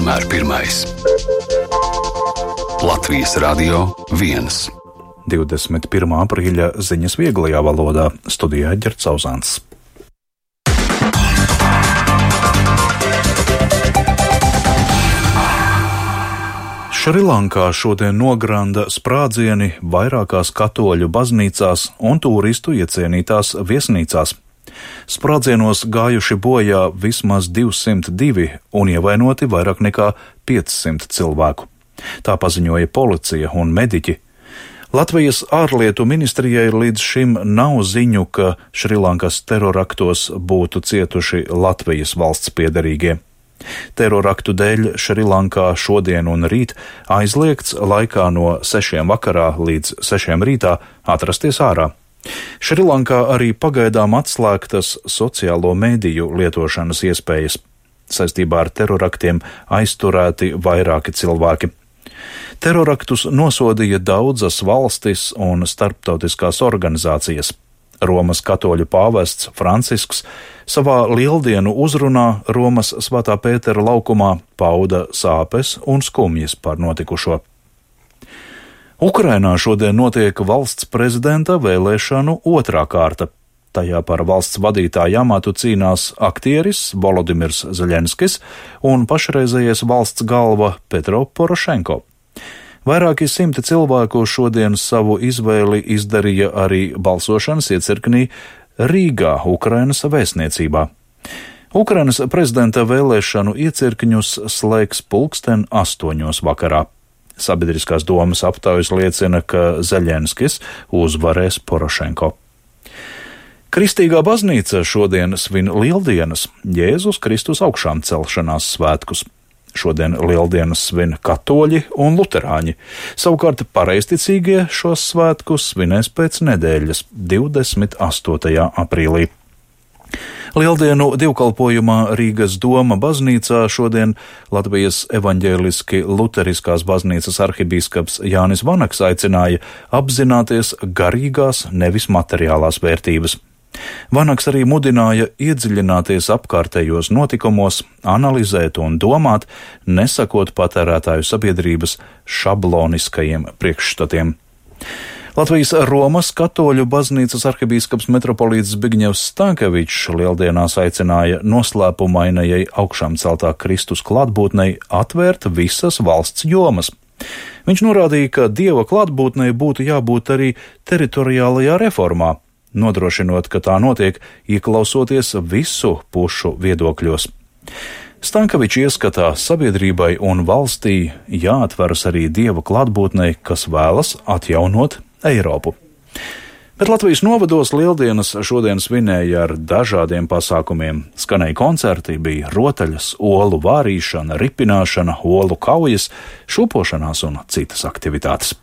vienmēr pirmais. Latvijas Radio 1. 21. aprīļa ziņas vieglajā valodā. Studijā Ģerts Zauzāns. Šrilankā šodien nogranda sprādzieni vairākās katoļu baznīcās un turistu iecienītās viesnīcās. Sprādzienos gājuši bojā vismaz 202 un ievainoti vairāk nekā 500 cilvēku. Tā paziņoja policija un mediķi. Latvijas ārlietu ministrijai līdz šim nav ziņu, ka Šrilankas teroraktos būtu cietuši Latvijas valsts piederīgie. Teroraktu dēļ Šrilankā šodien un rīt aizliegts laikā no 6 vakarā līdz 6 rītā atrasties ārā. Šrilankā arī pagaidām atslēgtas sociālo mediju lietošanas iespējas. Saistībā ar teroraktiem aizturēti vairāki cilvēki. Teroraktus nosodīja daudzas valstis un starptautiskās organizācijas. Romas katoļu pāvests Francisks savā lieldienu uzrunā Romas Svētā Pētera laukumā pauda sāpes un skumjas par notikušo. Ukrainā šodien notiek valsts prezidenta vēlēšanu otrā kārta. Tajā par valsts vadītāju amatu cīnās aktieris Volodimirs Zeļenskis un pašreizējais valsts galva Petro Porošenko. Vairāki simti cilvēku šodien savu izvēli izdarīja arī balsošanas iecirknī Rīgā, Ukrainas vēstniecībā. Ukrainas prezidenta vēlēšanu iecirkņus slēgs 8:00 vakarā. Sabiedriskās domas aptaujas liecina, ka Zeļenskis uzvarēs Porošenko. Kristīgā baznīca šodien svin Lieldienas, Jēzus Kristus augšām celšanās svētkus. Šodien Lieldienas svin katoļi un luterāņi, savukārt pareizticīgie šos svētkus svinēs pēc nedēļas, 28. aprīlī. Lieldienu divkalpojumā Rīgas Doma baznīcā šodien Latvijas evaņģēliski luteriskās baznīcas arhibīskaps Jānis Vanaks aicināja apzināties garīgās, nevis materiālās vērtības. Vanaks arī mudināja iedziļināties apkārtējos notikumos, analizēt un domāt, nesakot patērētāju sabiedrības šabloniskajiem priekšstatiem. Latvijas Romas katoļu baznīcas arhibīskaps metropolīts Zbigņevs Stankevičs Lieldienās aicināja noslēpumainajai augšām celtā Kristus klātbūtnei atvērt visas valsts jomas. Viņš norādīja, ka Dieva klātbūtnei būtu jābūt arī teritoriālajā reformā, nodrošinot, ka tā notiek ieklausoties visu pušu viedokļos. Stankevičs ieskatā sabiedrībai un valstī jāatveras arī Dieva klātbūtnei, kas vēlas atjaunot Eiropu. Bet Latvijas novados Lieldienas šodien svinēja ar dažādiem pasākumiem. Skanēja koncerti, bija rotaļas, olu vārīšana, ripināšana, olu kaujas, šūpošanās un citas aktivitātes.